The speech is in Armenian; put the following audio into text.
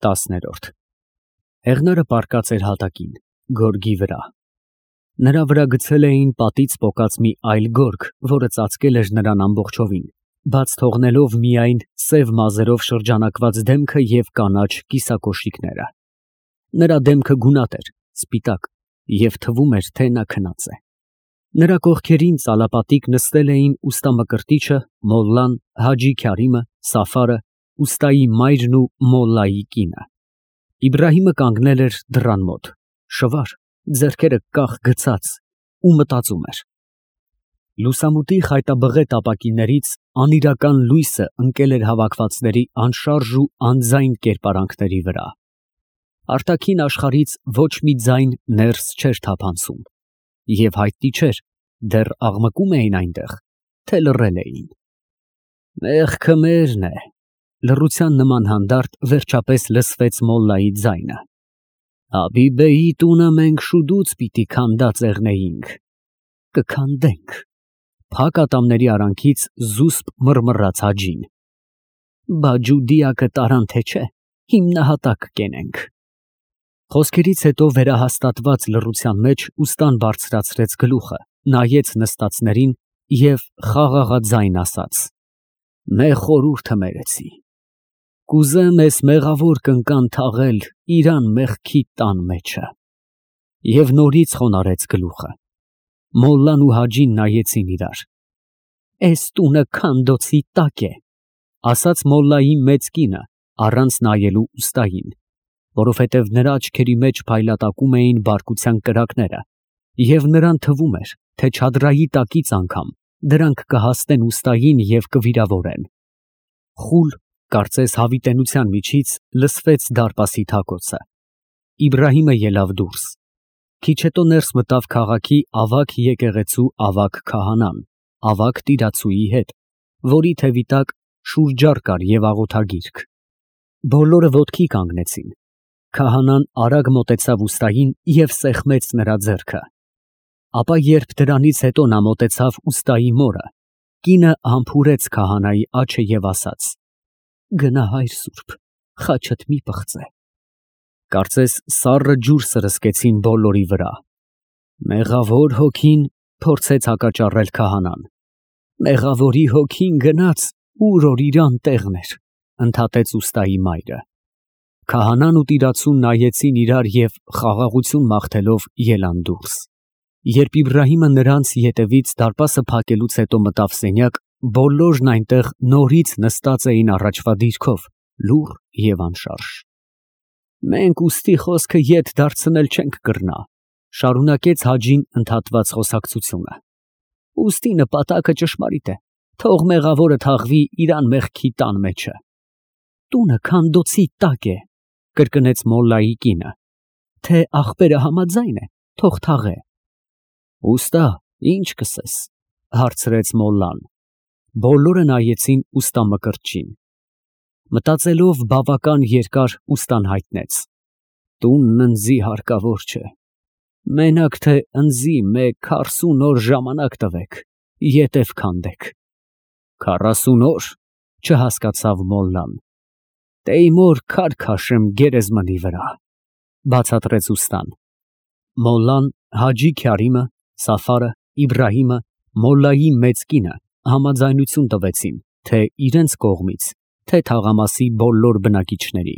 10-րդ Հեղնարը պառկած էր հատակին, գորգի վրա։ Նրա վրա գցել էին պատից պոկած մի այլ գորգ, որը ծածկել էր նրան ամբողջովին, բաց թողնելով միայն սև մազերով շրջանակված դեմքը և կանաչ կիսակոշիկները։ Նրա դեմքը գունատ էր, սպիտակ, և թվում էր, թե նա քնած է։ Նրա կողքերին ծալապատիկ նստել էին ուստամկրտիչը, մոլլան, Հաջի Քարիմը, Սաֆարը, ուստայի մայրն ու մոլլայի կինը։ Իբրահիմը կանգնել էր դռան մոտ, շվար, ձեռքերը կախ գցած, ու մտածում էր։ Լուսամուտի խայտաբղետ ապակիներից անիրական լույսը ընկել էր հավաքվածների անշարժ ու անձայն կերպարանքների վրա։ Արտաքին աշխարհից ոչ մի ձայն ներս չէր թափանցում, և հայտնի չէր, դեռ աղմկում էին այնտեղ, թե լռել էին։ Մեղքը մերն է, լռության նման հանդարտ վերջապես լսվեց մոլլայի ձայնը։ Հաբիբեի տունը մենք շուտուց պիտի քանդածեղնեինք, կքանդենք։ Փակ ատամների արանքից զուսպ մռմռաց Հաջին։ Բա ջուդիակը տարան թե չէ, հիմնահատակ կենենք։ Խոսքերից հետո վերահաստատված լռության մեջ ուստան բարձրացրեց գլուխը, նայեց նստածներին և խաղաղաձայն ասաց. Մեղ խորհուրդ հմերեցի։ Կուզեմ էս մեղավոր կնկան թաղել իրան մեղքի տան մեջը։ Եվ նորից խոնարհեց գլուխը։ Մոլլան ու Հաջին նայեցին իրար։ Էս տունը քանդոցի տակ է, ասաց մոլլայի մեծ կինը, առանց նայելու ուստային, որովհետև նրա աչքերի մեջ փայլատակում էին բարկության կրակները, և նրան թվում էր, թե չադրայի տակից անգամ դրանք կհասնեն ուստային և կվիրավորեն։ Խուլ, կարծես հավիտենության միջից, լսվեց դարպասի թակոցը։ Իբրահիմը ելավ դուրս։ Քիչ հետո ներս մտավ քաղաքի ավագ եկեղեցու ավագ քահանան, ավագ տիրացուի հետ, որի թևի տակ շուրջառ կար և աղոթագիրք։ Բոլորը ոտքի կանգնեցին։ Քահանան արագ մոտեցավ ուստային և սեղմեց նրա ձեռքը։ Ապա երբ դրանից հետո նա մոտեցավ ուստայի մորը, կինը համբուրեց քահանայի աջը և ասաց. Գնա, հայր սուրբ, խաչդ մի պղծե։ Կարծես սառը ջուր սրսկեցին բոլորի վրա։ Մեղավոր հոգին, փորձեց հակաճառել քահանան։ Մեղավորի հոգին գնաց, ուր որ իրան տեղն էր, ընդհատեց ուստայի մայրը։ Քահանան ու տիրացուն նայեցին իրար և խաղաղություն մաղթելով ելան դուրս։ Երբ Իբրահիմը նրանց ետևից դարպասը փակելուց հետո մտավ սենյակ, բոլորն այնտեղ նորից նստած էին առաջվա դիրքով, լուռ և անշարժ։ Մենք ուստի խոսքը ետ դարձնել չենք կռնա, շարունակեց Հաջին ընդհատված խոսակցությունը։ Ուստի նպատակը ճշմարիտ է, թող մեղավորը թաղվի իրան մեղքի տան մեջը։ Տունը քանդոցի տակ է, կրկնեց մոլլայի կինը։ Թե աղբերը համաձայն է, թող թաղե։ Ուստա, ինչ կսես, հարցրեց մոլլան։ Բոլորը նայեցին ուստամկրտչին։ Մտածելով բավական երկար ուստան հայտնեց. Տունն ընձի հարկավոր չէ։ Մենակ թե ընձի մեկ 40 օր ժամանակ տվեք, ետև քանդեք։ 40 օր, չհասկացավ մոլլան։ Տեյմոր քար քաշեմ գերեզմանի վրա, բացատրեց ուստան։ Մոլլան, Հաջի Քարիմը, Սաֆարը, Իբրահիմը, մոլլայի մեծ կինը համաձայնություն տվեցին թե իրենց կողմից, թե թաղամասի բոլոր բնակիչների։